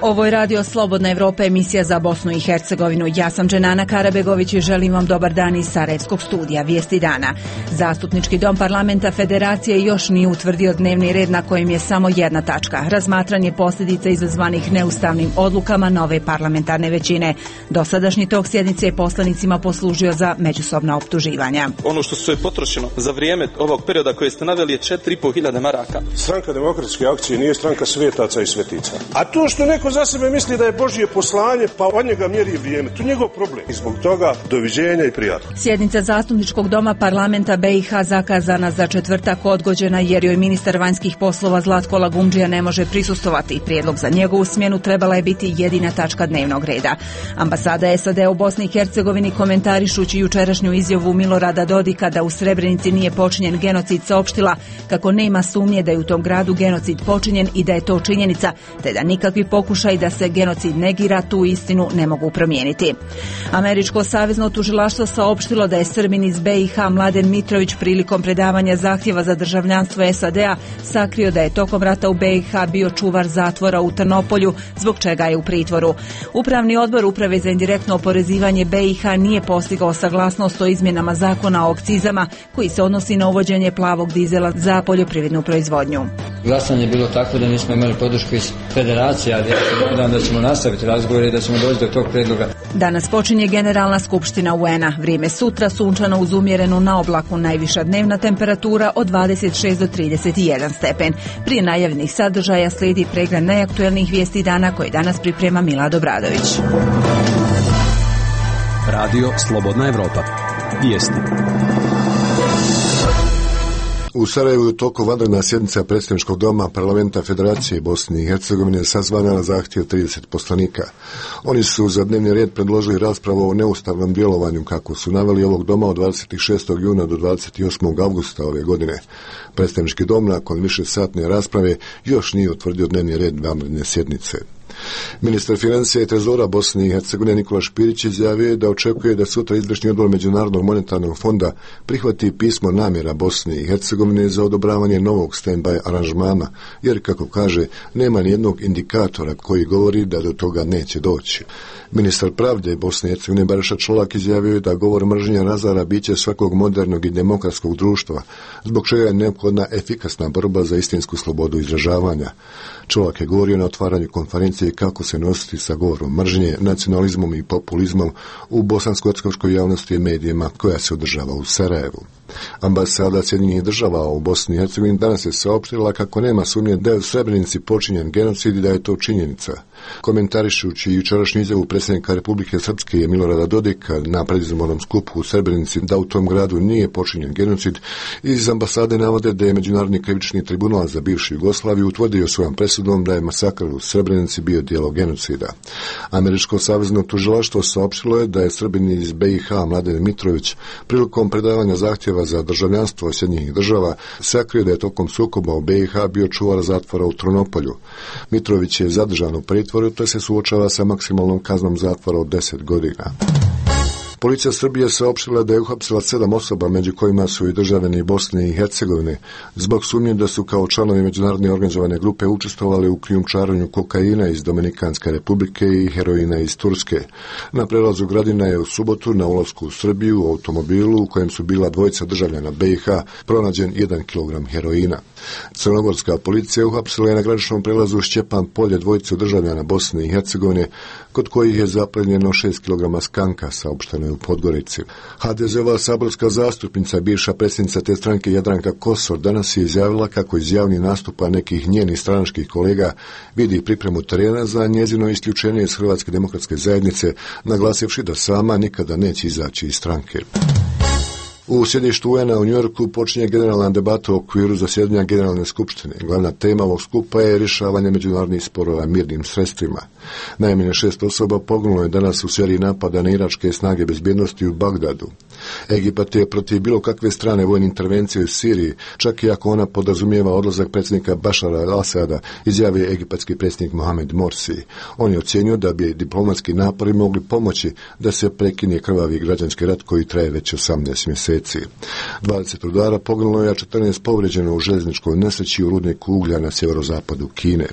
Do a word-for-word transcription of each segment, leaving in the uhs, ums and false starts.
Ovo je Radio Slobodna Evropa, emisija za Bosnu i Hercegovinu. Ja sam Dženana Karabegović i želim vam dobar dan iz Sarajevskog studija Vijesti dana. Zastupnički dom parlamenta Federacije još nije utvrdio dnevni red na kojem je samo jedna tačka. Razmatranje posljedica izazvanih neustavnim odlukama nove parlamentarne većine. Dosadašnji tok sjednice je poslanicima poslužio za međusobna optuživanja. Ono što se je potrošeno za vrijeme ovog perioda koje ste naveli je četiri i pol hiljade maraka. Stranka demokratske akcije nije stranka svetaca i svetica. A to što neko za sebe misli da je Božje poslanje, pa od njega mjeri vrijeme, to je njegov problem. I zbog toga doviđenja i prijatno. Sjednica Zastupničkog doma parlamenta B i H zakazana za četvrtak odgođena jer joj ministar vanjskih poslova Zlatko Lagumdžija ne može prisustovati. Prijedlog za njegovu smjenu trebala je biti jedina tačka dnevnog reda. Ambasada S A D u Bosni i Hercegovini, komentarišući jučerašnju izjavu Milorada Dodika da u Srebrenici nije počinjen genocid, saopštila kako nema sumnje da je u tom gradu genocid počinjen i da je to činjenica, te da nikakvi pokušaj da se genocid negira tu istinu ne mogu promijeniti. Američko savezno tužilaštvo saopštilo da je Srbin iz B i H Mladen Mitrović prilikom predavanja zahtjeva za državljanstvo S A D-a sakrio da je tokom rata u B i H bio čuvar zatvora u Trnopolju, zbog čega je u pritvoru. Upravni odbor Uprave za indirektno oporezivanje B i H nije postigao saglasnost o izmjenama zakona o akcizama koji se odnosi na uvođenje plavog dizela za poljoprivrednu proizvodnju. Glasanje je bilo tako da nismo imali podršku iz federacije, ali ja se nadam da ćemo nastaviti razgovore i da ćemo doći do tog predloga. Danas počinje Generalna skupština U N-a. Vrijeme sutra sunčano uz umjerenu na oblaku, najviša dnevna temperatura od dvadeset šest do trideset jedan stepen. Prije najavljenih sadržaja slijedi pregled najaktuelnijih vijesti dana koje danas priprema Milad Obradović. Radio Slobodna Evropa. Vijesti. U Sarajevu je toliko vanredna sjednica Predstavničkog doma parlamenta Federacije Bosne i Hercegovine sazvana na zahtjev trideset poslanika. Oni su za dnevni red predložili raspravu o neustavnom djelovanju, kako su naveli ovog doma od dvadeset šestog juna do dvadeset osmog avgusta ove godine. Predstavnički dom nakon više satne rasprave još nije utvrdio dnevni red vanredne sjednice. Ministar financija i trezora Bosne i Hercegovine Nikola Špirić izjavio da očekuje da sutra izvršni odbor Međunarodnog monetarnog fonda prihvati pismo namjera Bosne i Hercegovine za odobravanje novog stand-by aranžmana, jer, kako kaže, nema nijednog indikatora koji govori da do toga neće doći. Ministar pravde Bosne i Hercegovine Bariša Čolak izjavio da govor mržnje razara biće svakog modernog i demokratskog društva, zbog čega je neophodna efikasna borba za istinsku slobodu izražavanja. Čolak je govorio na otvaranju konferencije kako se nositi sa govorom mržnje, nacionalizmom i populizmom u bosansko-hercegovačkoj javnosti i medijima koja se održava u Sarajevu. Ambasada Sjedinjenih država u Bosni i Hercegovini danas je saopštila kako nema sumnje da je u Srebrenici počinjen genocid i da je to činjenica. Komentarišući jučerašnju izjavu predsjednika Republike Srpske Milorada Dodika na predizbornom skupu u Srebrenici da u tom gradu nije počinjen genocid, iz ambasade navode da je Međunarodni krivični tribunal za bivšu Jugoslaviju utvrdio svojom presudom da je masakr u Srebrenici bio djelo genocida. Američko savezno tužilaštvo saopštilo je da je Srbin iz B i H Mladen Mitrović prilikom predavanja zahtjeva za državljanstvo Sjedinjenih država sakrio da je tokom sukoba u B i H bio čuvar zatvora u Trnopolju. Mitrović je zadržan u pritvoru te se suočava sa maksimalnom kaznom zatvora od deset godina. Policija Srbije saopštila da je uhapsila sedam osoba, među kojima su i državljani Bosne i Hercegovine, zbog sumnje da su kao članovi međunarodne organizovane grupe učestvovali u krijumčarenju kokaina iz Dominikanske republike i heroina iz Turske. Na prelazu Gradina je u subotu na ulasku u Srbiju u automobilu u kojem su bila dvojica državljana B i H pronađen jedan kilogram heroina. Crnogorska policija uhapsila je na graničnom prelazu Šćepan Polje dvojicu državljana Bosne i Hercegovine, kod kojih je zaplenjeno šest kilograma skanka, saopšteno je u Podgorici. ha de ze-ova saborska zastupnica, bivša predsjednica te stranke Jadranka Kosor, danas je izjavila kako iz javnih nastupa nekih njenih stranačkih kolega vidi pripremu terena za njezino isključenje iz Hrvatske demokratske zajednice, naglasivši da sama nikada neće izaći iz stranke. U sjedištu U N-a u Njujorku počinje generalna debata u okviru zasjedanja Generalne skupštine. Glavna tema ovog skupa je rješavanje međunarodnih sporova mirnim sredstvima. Najmanje šest osoba poginulo je danas u seriji napada na iračke snage bezbjednosti u Bagdadu. Egipat je protiv bilo kakve strane vojne intervencije u Siriji, čak i ako ona podrazumijeva odlazak predsjednika Bašara al-Asada, izjavio egipatski predsjednik Mohamed Morsi. On je ocijenio da bi diplomatski napori mogli pomoći da se prekine krvavi građanski rat koji traje već osamnaest mjeseci. dvadeset rudara poginulo je, a četrnaest povrijeđeno u željezničkoj nesreći u rudniku uglja na sjeverozapadu Kine.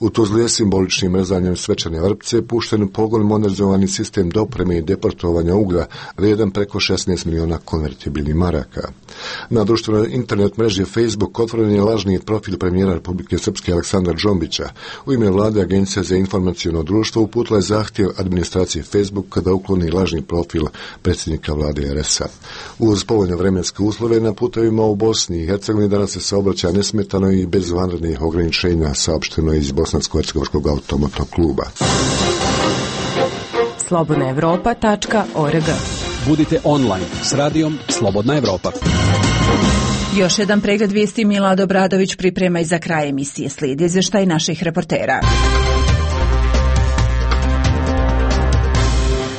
U Tuzli je simboličnim rezanjem svečane vrpce pušten u pogon modernizovani sistem dopreme i deportovanja uglja vrijedan preko šesnaest miliona konvertibilnih maraka. Na društvenoj internet mreži Facebook otvoren je lažni profil premijera Republike Srpske Aleksandra Džombića. U ime vlade Agencija za informaciono društvo uputila je zahtjev administracije Facebook da ukloni lažni profil predsjednika vlade er es a. Uz povoljne vremenske uslove na putevima u Bosni i Hercegovini danas se saobraća nesmetano i bez vanrednih ograničenja, saopšteno iz Bosansko-hercegovačkog automobilnog kluba. slobodna evropa tačka org. Budite online s radijom Slobodna Evropa. Još jedan pregled vijesti Milad Obradović priprema i za kraj emisije. Slijedi izvještaj naših reportera.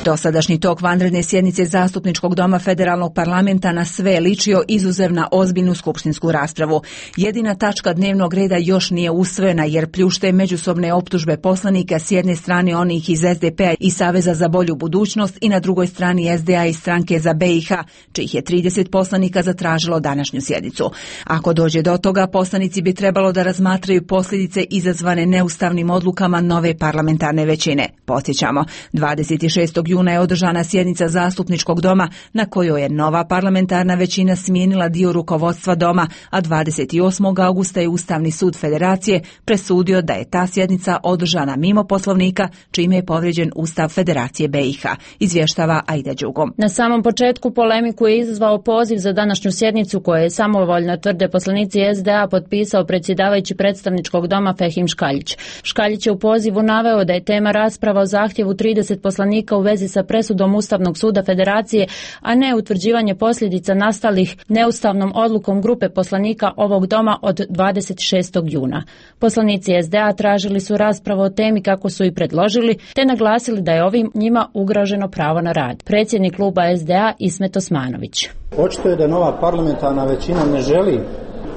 Dosadašnji tok vanredne sjednice Zastupničkog doma Federalnog parlamenta na sve ličio izuzev na ozbiljnu skupštinsku raspravu. Jedina tačka dnevnog reda još nije usvojena jer pljušte međusobne optužbe poslanika, s jedne strane onih iz es de pe a i Saveza za bolju budućnost i na drugoj strani es de a i Stranke za be i ha, čijih je trideset poslanika zatražilo današnju sjednicu. Ako dođe do toga, poslanici bi trebalo da razmatraju posljedice izazvane neustavnim odlukama nove parlamentarne većine. Podsjećamo, dvadeset šestog juna je održana sjednica Zastupničkog doma na kojoj je nova parlamentarna većina smijenila dio rukovodstva doma, a dvadeset osmog augusta je Ustavni sud Federacije presudio da je ta sjednica održana mimo Poslovnika, čime je povrijeđen Ustav Federacije be i ha, izvještava Aida Đugom. Na samom početku polemiku je izazvao poziv za današnju sjednicu koje je samovoljno, tvrde poslanici es de a, potpisao predsjedavajući predstavničkog doma Fehim Škaljić. Škaljić je u pozivu naveo da je tema rasprava o zahtjevu trideset poslanika u vezi sa presudom Ustavnog suda Federacije, a ne utvrđivanje posljedica nastalih neustavnom odlukom grupe poslanika ovog doma od dvadeset šestog juna. Poslanici es de a tražili su raspravu o temi kako su i predložili, te naglasili da je ovim njima ugroženo pravo na rad. Predsjednik kluba es de a Ismet Osmanović. Očito je da nova parlamentarna većina ne želi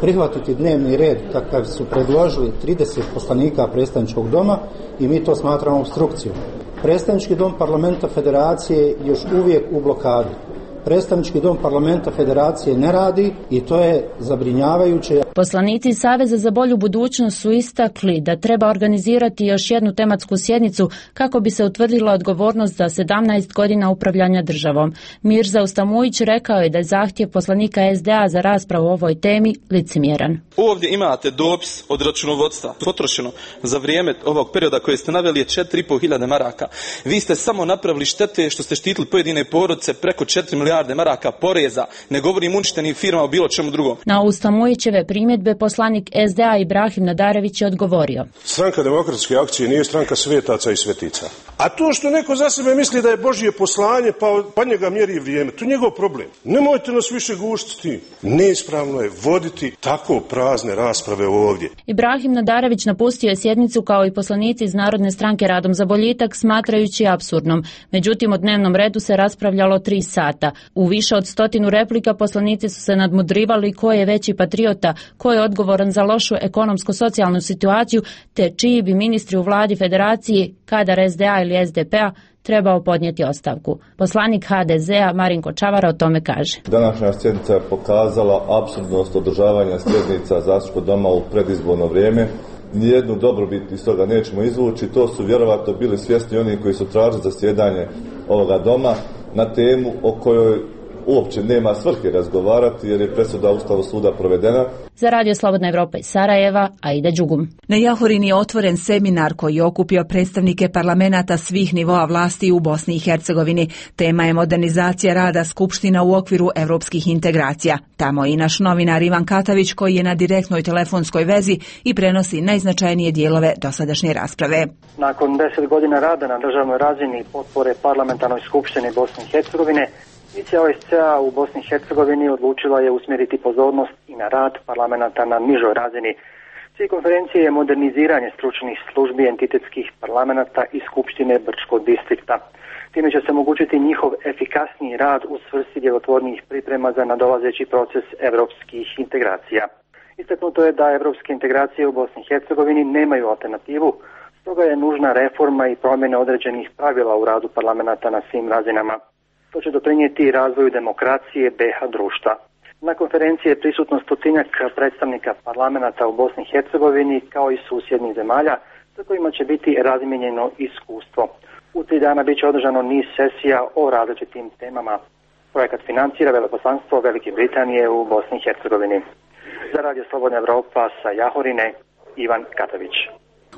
prihvatiti dnevni red kakav su predložili trideset poslanika predstavničkog doma i mi to smatramo opstrukcijom. Predstavnički dom parlamenta Federacije je još uvijek u blokadi. Predstavnički dom parlamenta Federacije ne radi i to je zabrinjavajuće. Poslanici Saveza za bolju budućnost su istakli da treba organizirati još jednu tematsku sjednicu kako bi se utvrdila odgovornost za sedamnaest godina upravljanja državom. Mirza Ustamujić rekao je da je zahtjev poslanika es de a za raspravu o ovoj temi licemjeran. Ovdje imate dopis od računovodstva. Potrošeno za vrijeme ovog perioda koje ste naveli je četiri i pol hiljade maraka. Vi ste samo napravili štete što ste štitili pojedine porodice preko četiri milijarde maraka poreza. Ne govorim uništenim firmama o bilo čemu drugom. Na Ustamujićeve primjedbe poslanik es de a Ibrahim Nadarević je odgovorio. Stranka demokratske akcije nije stranka svetaca i svetica. A to što neko za sebe misli da je Božje poslanje pa, pa njega mjeri vrijeme, to je njegov problem. Nemojte nas više guštiti. Neispravno je voditi tako prazne rasprave ovdje. Ibrahim Nadarević napustio je sjednicu kao i poslanici iz Narodne stranke Radom za boljitak, smatrajući apsurdnom. Međutim, o dnevnom redu se raspravljalo tri sata. U više od stotinu replika poslanici su se nadmudrivali ko je veći patriota, ko je odgovoran za lošu ekonomsko-socijalnu situaciju, te čiji bi ministri u vladi Federacije, kadar es de a ili es de pe a, trebao podnijeti ostavku. Poslanik ha de ze a Marinko Čavara o tome kaže. Današnja sjednica je pokazala apsurdnost održavanja sjednica Zastupničkog doma u predizborno vrijeme. Nijednu dobrobit iz toga nećemo izvući. To su vjerovatno bili svjesni oni koji su tražili zasjedanje ovoga doma na temu o kojoj uopće nema svrhe razgovarati jer je presuda Ustavnog suda provedena. Za Radio Slobodna Evropa iz Sarajeva, Aida Đugum. Na Jahorini je otvoren seminar koji je okupio predstavnike parlamenata svih nivoa vlasti u Bosni i Hercegovini. Tema je modernizacija rada skupština u okviru evropskih integracija. Tamo je i naš novinar Ivan Katavić koji je na direktnoj telefonskoj vezi i prenosi najznačajnije dijelove dosadašnje rasprave. Nakon deset godina rada na državnoj razini potpore parlamentarnoj skupštini Bosne i Hercegovine, Misija o es ce a u Bosni i Hercegovini odlučila je usmjeriti pozornost i na rad parlamenta na nižoj razini. Cilj konferencije je moderniziranje stručnih službi entitetskih parlamenta i Skupštine Brčkog distrikta. Time će se omogućiti njihov efikasniji rad u svrsi djelotvornijih priprema za nadolazeći proces evropskih integracija. Istaknuto je da evropske integracije u Bosni i Hercegovini nemaju alternativu, stoga je nužna reforma i promjena određenih pravila u radu parlamenta na svim razinama. To će doprinijeti razvoju demokracije be ha društva. Na konferenciji je prisutno stotinjak predstavnika parlamenta u Bosni i Hercegovini kao i susjednih zemalja, sa kojima će biti razmijenjeno iskustvo. U tri dana bit će održano niz sesija o različitim temama. Projekat financira veleposlanstvo Velike Britanije u Bosni i Hercegovini. Za Radio Slobodna Evropa sa Jahorine, Ivan Katavić.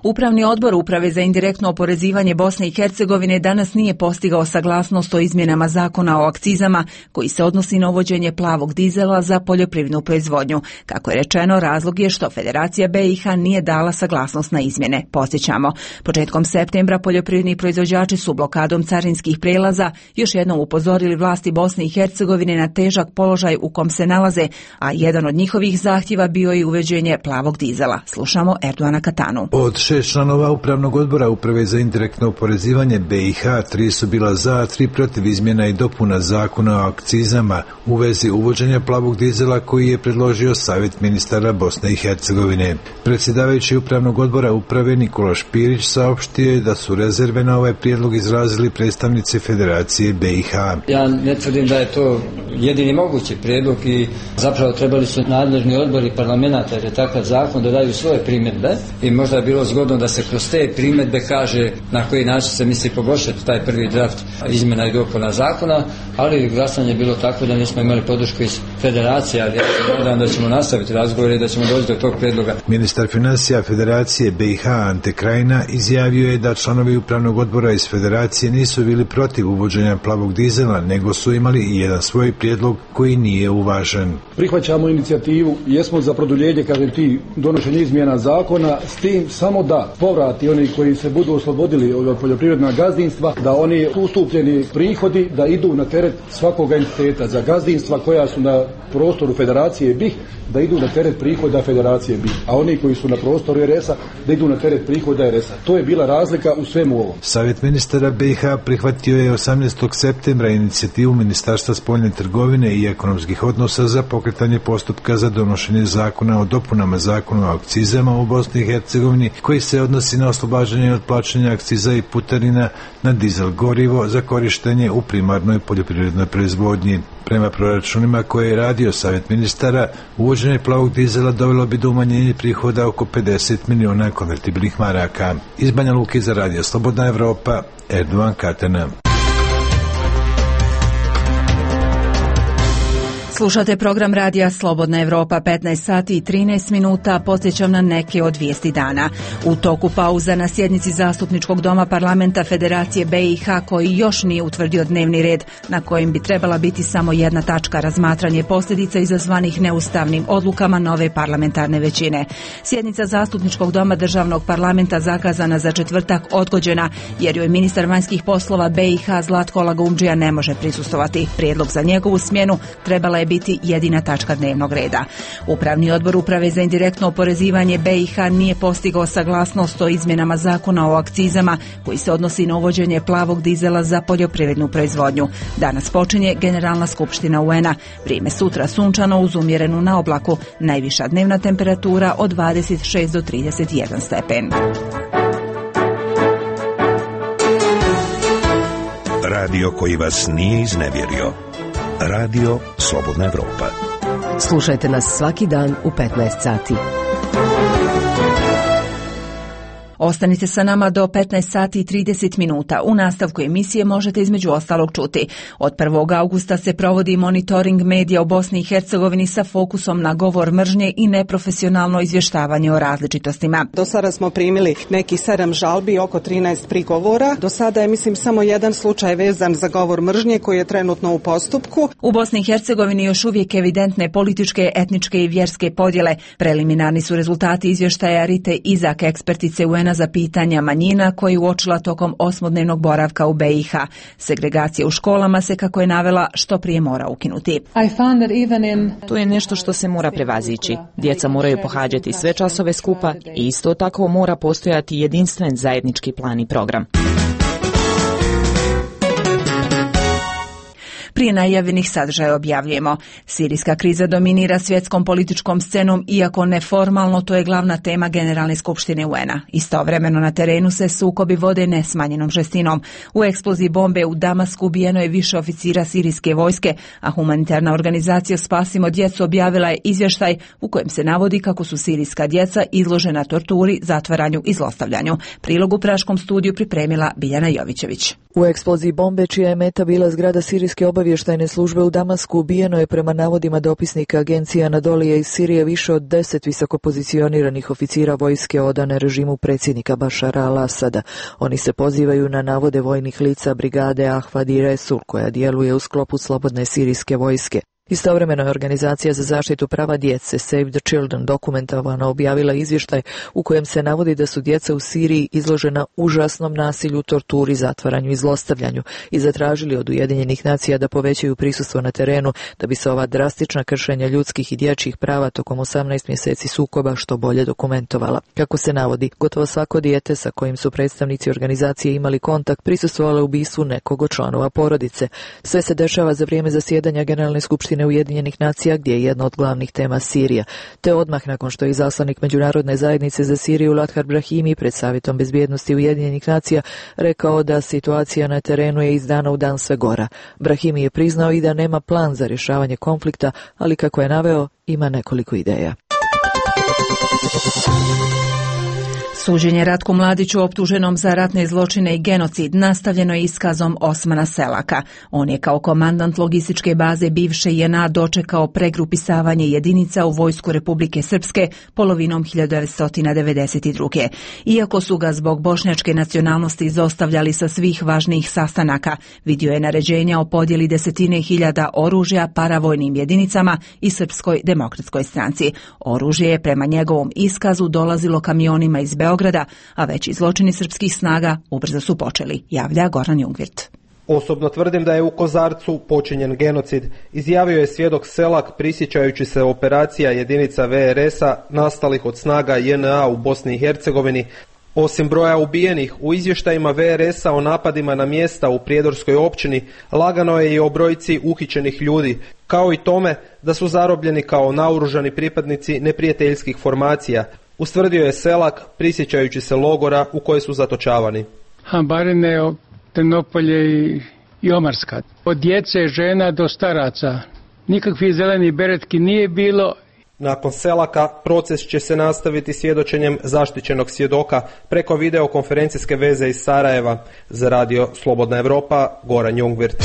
Upravni odbor Uprave za indirektno oporezivanje Bosne i Hercegovine danas nije postigao saglasnost o izmjenama zakona o akcizama koji se odnosi na uvođenje plavog dizela za poljoprivrednu proizvodnju. Kako je rečeno, razlog je što Federacija B i H nije dala saglasnost na izmjene. Podsjećamo, početkom septembra poljoprivredni proizvođači su blokadom carinskih prelaza još jednom upozorili vlasti Bosne i Hercegovine na težak položaj u kom se nalaze, a jedan od njihovih zahtjeva bio i uvođenje plavog dizela. Slušamo Erdoana Katanu. Od šest članova Upravnog odbora Uprave za indirektno oporezivanje B i H, tri su bila za, a tri protiv izmjena i dopuna zakona o akcizama u vezi uvođenja plavog dizela koji je predložio Savjet ministara Bosne i Hercegovine. Predsjedavajući Upravnog odbora Uprave Nikola Špirić saopštio je da su rezerve na ovaj prijedlog izrazili predstavnici Federacije B i H. Ja ne tvrdim da je to jedini mogući prijedlog i zapravo trebali su nadležni odbori parlamenta, jer je takav zakon, da daju svoje primjedbe i možda je bilo zgodno da se kroz te primjedbe kaže na koji način se misli poboljšati taj prvi draft izmjena i dopuna zakona, ali glasanje je bilo tako da nismo imali podršku iz Federacije, ali ja se nadam da ćemo nastaviti razgovore i da ćemo doći do tog prijedloga. Ministar financija Federacije B i H Ante Krajina izjavio je da članovi Upravnog odbora iz Federacije nisu bili protiv uvođenja plavog dizela, nego su imali i jedan svoj prijedlog koji nije uvažen. Prihvaćamo inicijativu, jesmo za produljenje, kažem ti, donošenje izmjena zakona, s tim samo da povrati oni koji se budu oslobodili od poljoprivredna gazdinstva, da oni ustupljeni prihodi da idu na teret svakog entiteta. Za gazdinstva koja su na prostoru Federacije B I H, da idu na teret prihoda Federacije B I H, a oni koji su na prostoru R S A da idu na teret prihoda R S A. To je bila razlika u svemu ovom. Savjet ministara B i H prihvatio je osamnaestog septembra inicijativu Ministarstva spoljne trgovine i ekonomskih odnosa za pokretanje postupka za donošenje zakona o dopunama zakona o akcizama u Bosni i Hercegovini koji se odnosi na oslobađanje od plaćanja akciza i putarina na dizel gorivo za korištenje u primarnoj poljoprivrednoj proizvodnji. Prema proračunima koje je radio Savjet ministara, uvođenje plavog dizela dovelo bi do umanjenja prihoda oko pedeset miliona konvertibilnih maraka. Iz Banja Luke za Radio Slobodna Evropa, Erdoan Katana. Slušate program radija Slobodna Evropa, petnaest sati i trinaest minuta, podsjećam na neke od vijesti dana. U toku pauza na sjednici Zastupničkog doma parlamenta Federacije B i H koji još nije utvrdio dnevni red na kojem bi trebala biti samo jedna tačka, razmatranje posljedica izazvanih neustavnim odlukama nove parlamentarne većine. Sjednica Zastupničkog doma državnog parlamenta zakazana za četvrtak odgođena jer joj ministar vanjskih poslova B i H Zlatko Lagumdžija ne može prisustvovati. Prijedlog za njegovu smjenu trebala je biti jedina tačka dnevnog reda. Upravni odbor Uprave za indirektno oporezivanje B i H nije postigao saglasnost o izmjenama zakona o akcizama koji se odnosi na uvođenje plavog dizela za poljoprivrednu proizvodnju. Danas počinje Generalna skupština U N-a. Vrijeme sutra sunčano uz umjerenu na oblaku. Najviša dnevna temperatura od dvadeset šest do trideset jedan stepen. Radio koji vas nije iznevjerio. Radio Slobodna Evropa. Slušajte nas svaki dan u petnaest sati. Ostanite sa nama do petnaest sati i trideset minuta. U nastavku emisije možete između ostalog čuti. Od prvog augusta se provodi monitoring medija u Bosni i Hercegovini sa fokusom na govor mržnje i neprofesionalno izvještavanje o različitostima. Do sada smo primili nekih sedam žalbi, oko trinaest prigovora. Do sada je, mislim, samo jedan slučaj vezan za govor mržnje koji je trenutno u postupku. U Bosni i Hercegovini još uvijek evidentne političke, etničke i vjerske podjele. Preliminarni su rezultati izvještaja Rite Izak, ekspertice U N-a za pitanja manjina koji uočila tokom osmodnevnog boravka u B i H. Segregacija u školama se, kako je navela, što prije mora ukinuti. To je nešto što se mora prevazići. Djeca moraju pohađati sve časove skupa i isto tako mora postojati jedinstven zajednički plan i program. Prije Prije najavljenih sadržaja objavljujemo. Sirijska kriza dominira svjetskom političkom scenom, iako neformalno to je glavna tema Generalne skupštine U N A. Istovremeno na terenu se sukobi vode nesmanjenom žestinom. U eksploziji bombe u Damasku ubijeno je više oficira sirijske vojske, a humanitarna organizacija Spasimo djecu objavila je izvještaj u kojem se navodi kako su sirijska djeca izložena torturi, zatvaranju i zlostavljanju. Prilog u praškom studiju pripremila Biljana Jovićević. U eksploziji bombe, čija je meta bila zgrada sirijske obavještajne službe u Damasku, ubijeno je prema navodima dopisnika agencije Anadolije iz Sirije više od deset visokopozicioniranih oficira vojske odane režimu predsjednika Bašara al-Asada. Oni se pozivaju na navode vojnih lica brigade Ahvad i Resul, koja djeluje u sklopu slobodne sirijske vojske. Istovremeno je Organizacija za zaštitu prava djece Save the Children dokumentovano objavila izvještaj u kojem se navodi da su djeca u Siriji izložena užasnom nasilju, torturi, zatvaranju i zlostavljanju i zatražili od Ujedinjenih nacija da povećaju prisustvo na terenu da bi se ova drastična kršenja ljudskih i dječjih prava tokom osamnaest mjeseci sukoba što bolje dokumentovala. Kako se navodi, gotovo svako dijete sa kojim su predstavnici organizacije imali kontakt prisustvovalo ubistvu nekog od članova porodice. Sve se dešava za vrijeme zasjedanja Generalne skupštine Ujedinjenih nacija, gdje je jedna od glavnih tema Sirija, te odmah nakon što je izaslanik Međunarodne zajednice za Siriju Lathar Brahimi pred Savjetom bezbjednosti Ujedinjenih nacija rekao da situacija na terenu je iz dana u dan sve gora. Brahimi je priznao i da nema plan za rješavanje konflikta, ali kako je naveo, ima nekoliko ideja. Suđenje Ratku Mladiću, optuženom za ratne zločine i genocid, nastavljeno je iskazom Osmana Selaka. On je kao komandant logističke baze bivše J N A dočekao pregrupisavanje jedinica u vojsku Republike Srpske polovinom hiljadu devetsto devedeset druge. Iako su ga zbog bošnjačke nacionalnosti izostavljali sa svih važnijih sastanaka, vidio je naređenja o podjeli desetine hiljada oružja paravojnim jedinicama i Srpskoj demokratskoj stranci. Oružje je prema njegovom iskazu dolazilo kamionima iz Beograda, Beograda, a veći zločini srpskih snaga ubrzo su počeli, javlja Goran Jungvirt. Osobno tvrdim da je u Kozarcu počinjen genocid, izjavio je svjedok Selak prisjećajući se operacija jedinica V R S-a nastalih od snaga J N A u Bosni i Hercegovini. Osim broja ubijenih, u izvještajima V R S-a o napadima na mjesta u Prijedorskoj općini lagano je i o brojci uhićenih ljudi, kao i tome da su zarobljeni kao naoružani pripadnici neprijateljskih formacija, ustvrdio je Selak prisjećajući se logora u koje su zatočavani. Barine, Trnopolje i, i Omarska. Od djece, žena do staraca. Nikakvih zelenih beretki nije bilo. Nakon Selaka proces će se nastaviti svjedočenjem zaštićenog svjedoka preko videokonferencijske veze iz Sarajeva. Za radio Slobodna Evropa, Goran Jungvirt.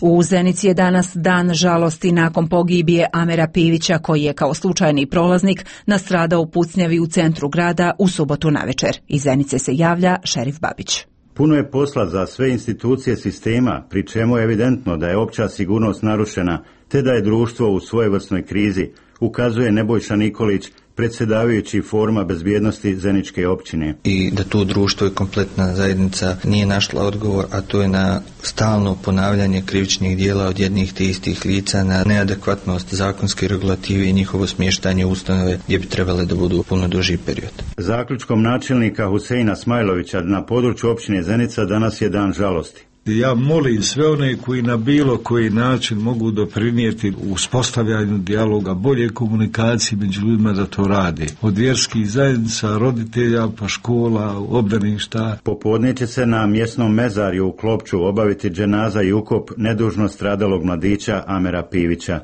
U Zenici je danas dan žalosti nakon pogibije Amera Pivića, koji je kao slučajni prolaznik nastradao u pucnjavi u centru grada u subotu navečer. Iz Zenice se javlja Šerif Babić. Puno je posla za sve institucije sistema, pri čemu je evidentno da je opća sigurnost narušena, te da je društvo u svojevrsnoj krizi, ukazuje Nebojša Nikolić, predsjedavajući foruma bezbjednosti Zeničke općine. I da to društvo i kompletna zajednica nije našla odgovor, a to je na stalno ponavljanje krivičnih dijela od jednih te istih lica, na neadekvatnost zakonske regulative i njihovo smještanje u ustanove gdje bi trebale da budu puno duži period. Zaključkom načelnika Huseina Smajlovića na području općine Zenica danas je dan žalosti. Ja molim sve one koji na bilo koji način mogu doprinijeti uspostavljanju dijaloga, bolje komunikacije među ljudima da to rade. Od vjerskih zajednica, roditelja, pa škola, obdaništa. Popodne će se na mjesnom mezarju u Klopču obaviti dženaza i ukop nedužno stradalog mladića Amera Pivića.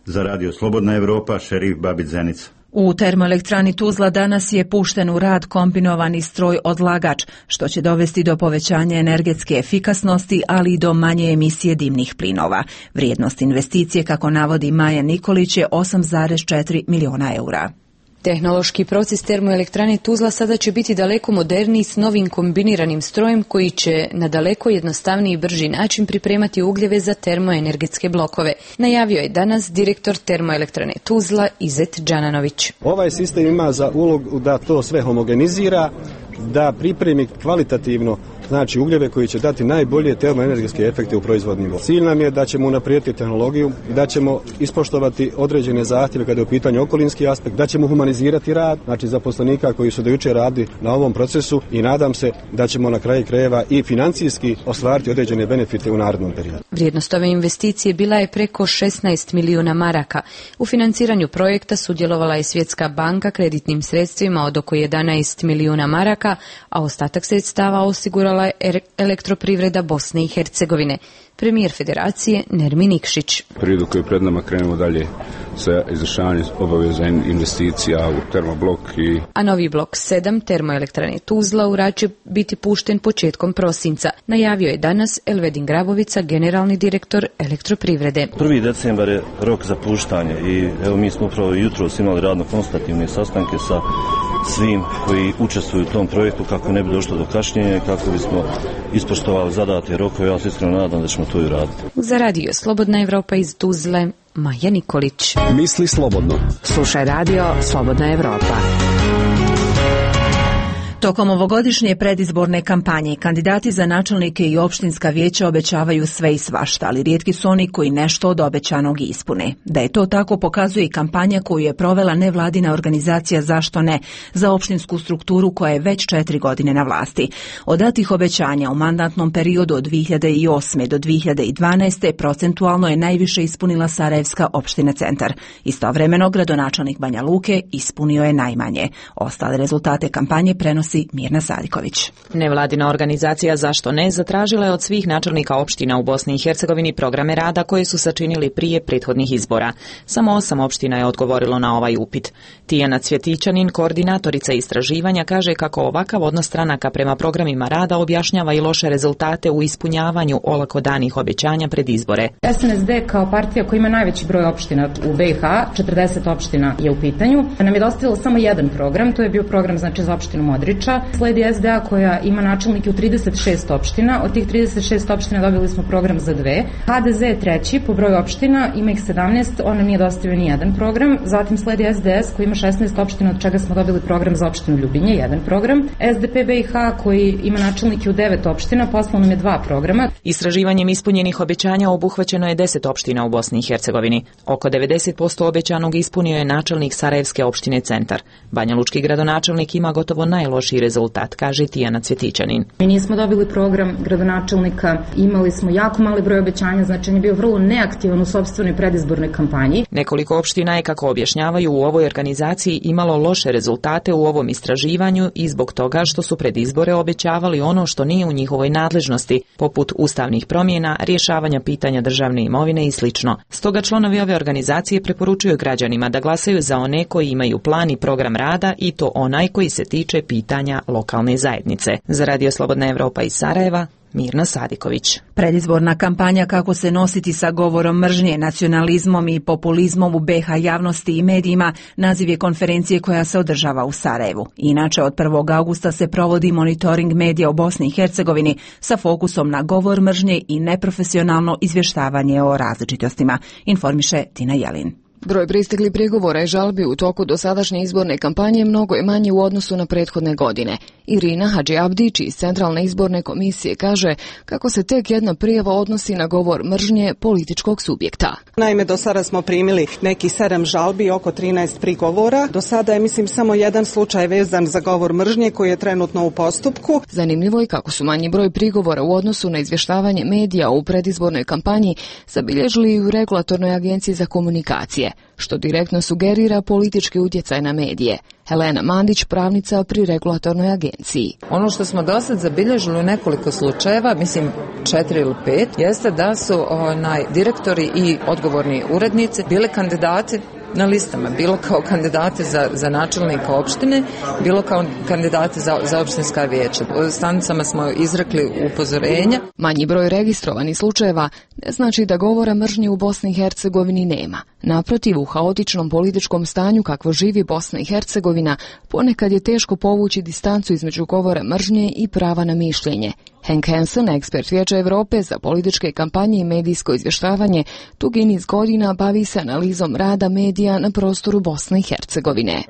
Za radio Slobodna Evropa, Šerif Babić, Zenica. U termoelektrani Tuzla danas je pušten u rad kombinovani stroj odlagač, što će dovesti do povećanja energetske efikasnosti, ali i do manje emisije dimnih plinova. Vrijednost investicije, kako navodi Maja Nikolić, je osam zarez četiri miliona eura. Tehnološki proces termoelektrane Tuzla sada će biti daleko moderniji s novim kombiniranim strojem koji će na daleko jednostavniji i brži način pripremati ugljeve za termoenergetske blokove. Najavio je danas direktor termoelektrane Tuzla Izet Đananović. Ovaj sistem ima za ulogu da to sve homogenizira, da pripremi kvalitativno znači ugljeve koji će dati najbolje termoenergetske efekte u proizvodnim vodama. Cilj nam je da ćemo unaprijediti tehnologiju, da ćemo ispoštovati određene zahtjeve kada je u pitanju okolinski aspekt, da ćemo humanizirati rad, znači zaposlenika koji su do jučer radili na ovom procesu i nadam se da ćemo na kraju krajeva i financijski ostvariti određene benefite u narednom periodu. Vrijednost ove investicije bila je preko šesnaest milijuna maraka. U financiranju projekta sudjelovala je Svjetska banka kreditnim sredstvima od oko jedanaest milijuna maraka, a ostatak sredstava osigurala je Elektroprivreda Bosne i Hercegovine. Premijer Federacije Nermin Nikšić. Periodu koji je pred nama krenemo dalje sa izvršavanjem obaveza investicija u termoblok i... A novi blok sedam termoelektrane Tuzla u rad će biti pušten početkom prosinca. Najavio je danas Elvedin Grabovica, generalni direktor Elektroprivrede. prvi decembar je rok za puštanje i evo mi smo upravo jutros imali radno-konstativne sastanke sa svim koji učestvuju u tom projektu kako ne bi došlo do kašnjenja, kako bismo ispoštovali zadate rokove. Ja se iskreno nadam da ćemo to i raditi. Za radio Slobodna Evropa iz Tuzle, Maja Nikolić. Misli slobodno. Slušaj radio Slobodna Evropa. Tokom ovogodišnje predizborne kampanje kandidati za načelnike i opštinska vijeća obećavaju sve i svašta, ali rijetki su oni koji nešto od obećanog ispune. Da je to tako pokazuje i kampanja koju je provela nevladina organizacija Zašto ne za opštinsku strukturu koja je već četiri godine na vlasti. Od datih obećanja u mandatnom periodu od dvije hiljade osme do dvije hiljade dvanaeste procentualno je najviše ispunila Sarajevska opština Centar. Istovremeno gradonačelnik Banja Luke ispunio je najmanje. Ostale rezultate kampanje prenosi Mirna Sadiković. Nevladina organizacija Zašto ne zatražila je od svih načelnika opština u Bosni i Hercegovini programe rada koje su sačinili prije prethodnih izbora. Samo osam opština je odgovorilo na ovaj upit. Tijana Cvjetićanin, koordinatorica istraživanja, kaže kako ovakav odnos stranaka prema programima rada objašnjava i loše rezultate u ispunjavanju olako danih obećanja pred izbore. S N S D kao partija koja ima najveći broj opština u B i H, četrdeset opština je u pitanju, nam je dostavilo samo jedan program, to je bio program znači za opštinu Modriča. Sledi S D A koja ima načelnike u trideset šest opština, od tih trideset šest opština dobili smo program za dve. H D Z je treći po broju opština, ima ih sedamnaest, on nam nije dostavio ni jedan program. Zatim sledi S D S koji ima šesnaest opština, od čega smo dobili program za opštinu Ljubinje, jedan program. S D P B i H koji ima načelnike u devet opština, poslao nam je dva programa. Istraživanjem ispunjenih obećanja obuhvaćeno je deset opština u Bosni i Hercegovini. Oko devedeset posto obećanog ispunio je načelnik Sarajevske opštine Centar. Banja Lučki gradonačelnik ima gotovo najlošiji rezultat, kaže Tijana Cvjetićanin. Mi nismo dobili program gradonačelnika, imali smo jako mali broj obećanja, znači on je bio vrlo neaktivan u sopstvenoj predizbornoj kampanji. Nekoliko opština je, kako objašnjavaju u ovoj organizaciji, imalo loše rezultate u ovom istraživanju i zbog toga što su pred izbore obećavali ono što nije u njihovoj nadležnosti, poput ustavnih promjena, rješavanja pitanja državne imovine i sl. Stoga članovi ove organizacije preporučuju građanima da glasaju za one koji imaju plan i program rada i to onaj koji se tiče pitanja lokalne zajednice. Za radio Slobodna Evropa iz Sarajeva, Mirna Sadiković. Predizborna kampanja kako se nositi sa govorom mržnje, nacionalizmom i populizmom u B i H javnosti i medijima naziv je konferencije koja se održava u Sarajevu. Inače, od prvog augusta se provodi monitoring medija u Bosni i Hercegovini sa fokusom na govor mržnje i neprofesionalno izvještavanje o različitostima, informiše Tina Jelin. Broj pristiglih prigovora i žalbi u toku dosadašnje izborne kampanje mnogo je manji u odnosu na prethodne godine. Irina Hadžiabdić iz Centralne izborne komisije kaže kako se tek jedna prijava odnosi na govor mržnje političkog subjekta. Naime, do sada smo primili neki sedam žalbi, oko trinaest prigovora. Do sada je, mislim, samo jedan slučaj vezan za govor mržnje koji je trenutno u postupku. Zanimljivo je kako su manji broj prigovora u odnosu na izvještavanje medija u predizbornoj kampanji zabilježili i u Regulatornoj agenciji za komunikacije, što direktno sugerira politički utjecaj na medije. Helena Mandić, pravnica pri Regulatornoj agenciji. Ono što smo do sad zabilježili u nekoliko slučajeva, mislim četiri ili pet, jeste da su onaj, direktori i odgovorni urednici bili kandidati na listama, bilo kao kandidati za, za načelnika opštine, bilo kao kandidati za, za opštinska vijeća. U stanicama smo izrekli upozorenja. Manji broj registrovanih slučajeva ne znači da govora mržnje u Bosni i Hercegovini nema. Naprotiv, u haotičnom političkom stanju kakvo živi Bosna i Hercegovina, ponekad je teško povući distancu između govora mržnje i prava na mišljenje. Henk Hansen, ekspert Vijeća Europe za političke kampanje i medijsko izvještavanje, dugi niz godina bavi se analizom rada medija na prostoru Bosne i Hercegovine.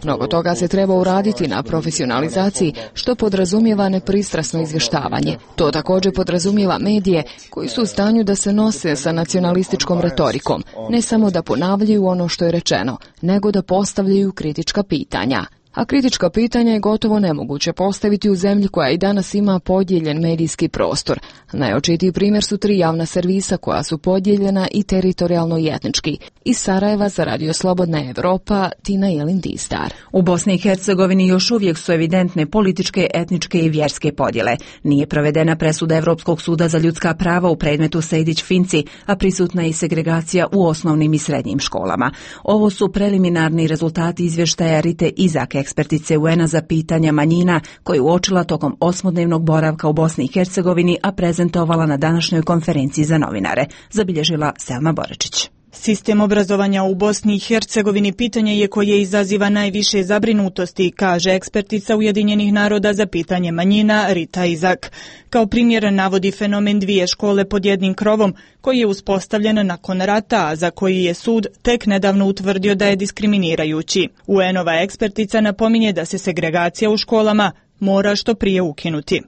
Mnogo toga se treba uraditi na profesionalizaciji, što podrazumijeva nepristrasno izvještavanje. To također podrazumijeva medije koji su u stanju da se nose sa nacionalističkom retorikom, ne samo da ponavljaju ono što je rečeno, nego da postavljaju kritička pitanja. A kritička pitanja je gotovo nemoguće postaviti u zemlji koja i danas ima podijeljen medijski prostor. Najočitiji primjer su tri javna servisa koja su podijeljena i teritorijalno i etnički. Iz Sarajeva za Radio Slobodna Evropa, Tina Jelin Distar. U Bosni i Hercegovini još uvijek su evidentne političke, etničke i vjerske podjele. Nije provedena presuda Europskog suda za ljudska prava u predmetu Sejdić-Finci, a prisutna je i segregacija u osnovnim i srednjim školama. Ovo su preliminarni rezultati izvještaja Rite Izak, ekspertice U N-a za pitanja manjina, koju uočila tokom osmodnevnog boravka u Bosni i Hercegovini, a prezentovala na današnjoj konferenciji za novinare, zabilježila Selma Borečić. Sistem obrazovanja u Bosni i Hercegovini pitanje je koje izaziva najviše zabrinutosti, kaže ekspertica Ujedinjenih naroda za pitanje manjina Rita Izak. Kao primjer navodi fenomen dvije škole pod jednim krovom, koji je uspostavljen nakon rata, a za koji je sud tek nedavno utvrdio da je diskriminirajući. U N-ova ekspertica napominje da se segregacija u školama mora što prije ukinuti.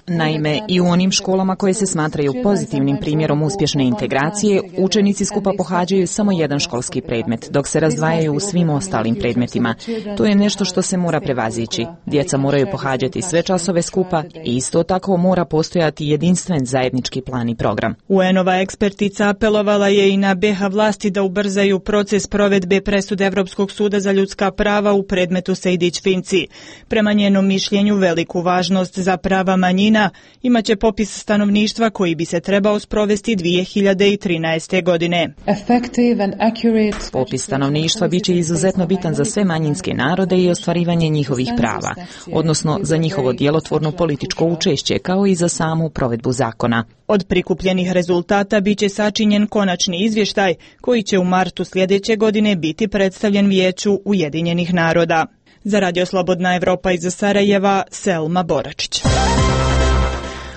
Naime, i u onim školama koje se smatraju pozitivnim primjerom uspješne integracije, učenici skupa pohađaju samo jedan školski predmet, dok se razdvajaju u svim ostalim predmetima. To je nešto što se mora prevazići. Djeca moraju pohađati sve časove skupa i isto tako mora postojati jedinstven zajednički plan i program. U N-ova ekspertica apelovala je i na B iH vlasti da ubrzaju proces provedbe presude Europskog suda za ljudska prava u predmetu Sejdić-Finci. Prema njenom mišljenju veliku važnost za prava manjina imaće popis stanovništva koji bi se trebao sprovesti dvije hiljade trinaeste. godine. Popis stanovništva biće izuzetno bitan za sve manjinske narode i ostvarivanje njihovih prava, odnosno za njihovo djelotvorno političko učešće, kao i za samu provedbu zakona. Od prikupljenih rezultata biće sačinjen konačni izvještaj koji će u martu sljedeće godine biti predstavljen Vijeću Ujedinjenih naroda. Za Radio Slobodna Evropa iz Sarajeva, Selma Boračić.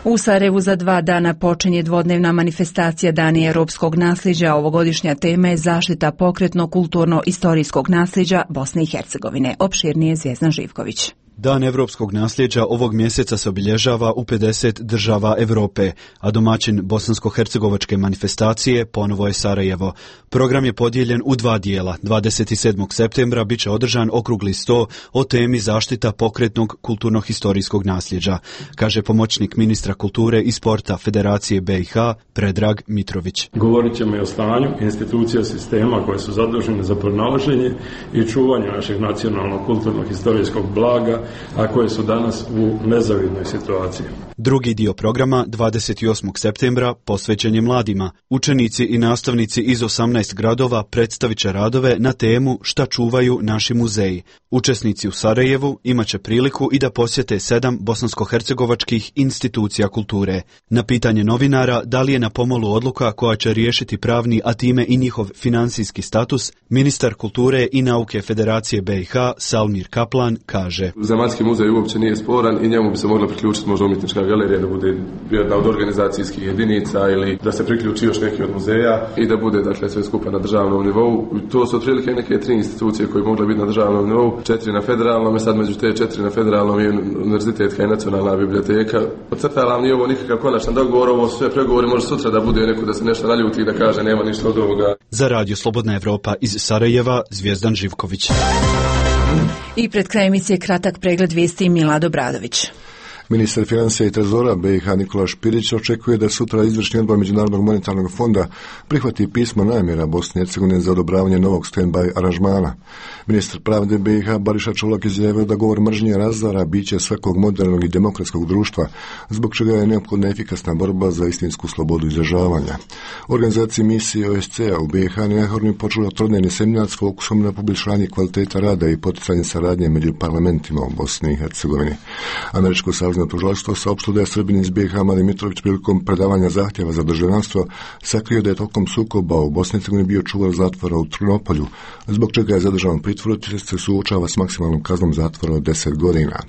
U Sarajevu za dva dana počinje dvodnevna manifestacija Dani europskog nasljeđa. Ovogodišnja tema je zaštita pokretno kulturno-istorijskog nasljeđa Bosne i Hercegovine. Opširnije Zvjezdan Živković. Dan europskog nasljeđa ovog mjeseca se obilježava u pedeset država Europe, a domaćin bosansko-hercegovačke manifestacije ponovo je Sarajevo. Program je podijeljen u dva dijela. dvadeset sedmog septembra biće održan okrugli sto o temi zaštita pokretnog kulturno-historijskog nasljeđa, kaže pomoćnik ministra kulture i sporta Federacije B iH Predrag Mitrović. Govorit ćemo i o stanju institucija sistema koje su zadužene za pronalaženje i čuvanje našeg nacionalnog kulturno-historijskog blaga, a koje su danas u nezavidnoj situaciji. Drugi dio programa, dvadeset osmog septembra, posvećen je mladima. Učenici i nastavnici iz osamnaest gradova predstavit će radove na temu Šta čuvaju naši muzeji. Učesnici u Sarajevu imat će priliku i da posjete sedam bosansko-hercegovačkih institucija kulture. Na pitanje novinara da li je na pomolu odluka koja će riješiti pravni, a time i njihov financijski status, ministar kulture i nauke Federacije B iH Salmir Kaplan kaže: Zemaljski muzej uopće nije sporan i njemu bi se mogla priključiti možda umjetnička galerija, da bude jedna od organizacijskih jedinica ili da se priključi još neki od muzeja i da bude dakle sve skupa na državnom nivou. To su otprilike neke tri institucije koje mogle biti na državnom nivou, četiri na federalnom, i sad među te četiri na federalnom je univerzitetska i nacionalna biblioteka. Podcrtavam, nije ovo nikakav konačan dogovor, ovo sve pregovori, može sutra da bude neko da se nešto naljuti i da kaže nema ništa od ovoga. Za Radio Slobodna Evropa iz Sarajeva, Zvjezdan Živković. I pred krajem emisije kratak pregled vijesti Milado Bradović. Ministar financija i trezora B iH Nikola Špirić očekuje da sutra izvršni odbor Međunarodnog monetarnog fonda prihvati pismo namjera Bosne i Hercegovine za odobravanje novog stand-by aranžmana. Ministar pravde B iH Bariša Čolak izjavio da govor mržnje razara biće svakog modernog i demokratskog društva, zbog čega je neophodna efikasna borba za istinsku slobodu izražavanja. Organizaciji misije O S C-a u B iH neohorno počela trodnevni seminar s fokusom na poboljšanje kvaliteta rada i poticanje saradnje među parlamentima u Bosni i Hercegovini. Američko savezno tužilaštvo saopštilo da je Srbin iz B iH Mali Mitrović prilikom predavanja zahtjeva za državljanstvo sakrio da je tokom sukoba u Bosni i Hercegovini bio čuvar zatvora u Trnopolju, zbog čega je zadržan u pritvoru te se suočava s maksimalnom kaznom zatvora od deset godina.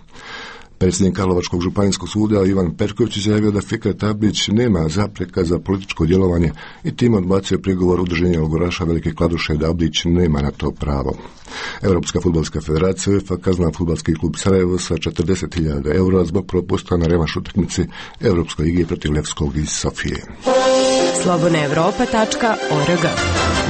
Predsjednik Karlovačkog županijskog suda Ivan Perković izjavio da Fikret Ablić nema zapreka za političko djelovanje i tim odbacio prigovor udruženja logoraša Velike Kladuše da Ablić nema na to pravo. Europska fudbalska federacija UEFA kaznila fudbalski klub Sarajevo sa četrdeset hiljada eura zbog propusta na revanš utakmici Europskoj ligi protiv Levskog iz Sofije. slobodna europa tačka org.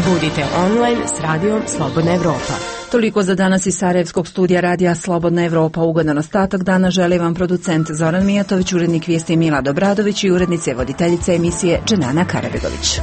Budite online s radijom Slobodna Evropa. Toliko za danas iz Sarajevskog studija radija Slobodna Evropa. Ugodan ostatak dana želi vam producent Zoran Mijatović, urednik vijesti Mila Dobradović i urednice voditeljice emisije Dženana Karabegović.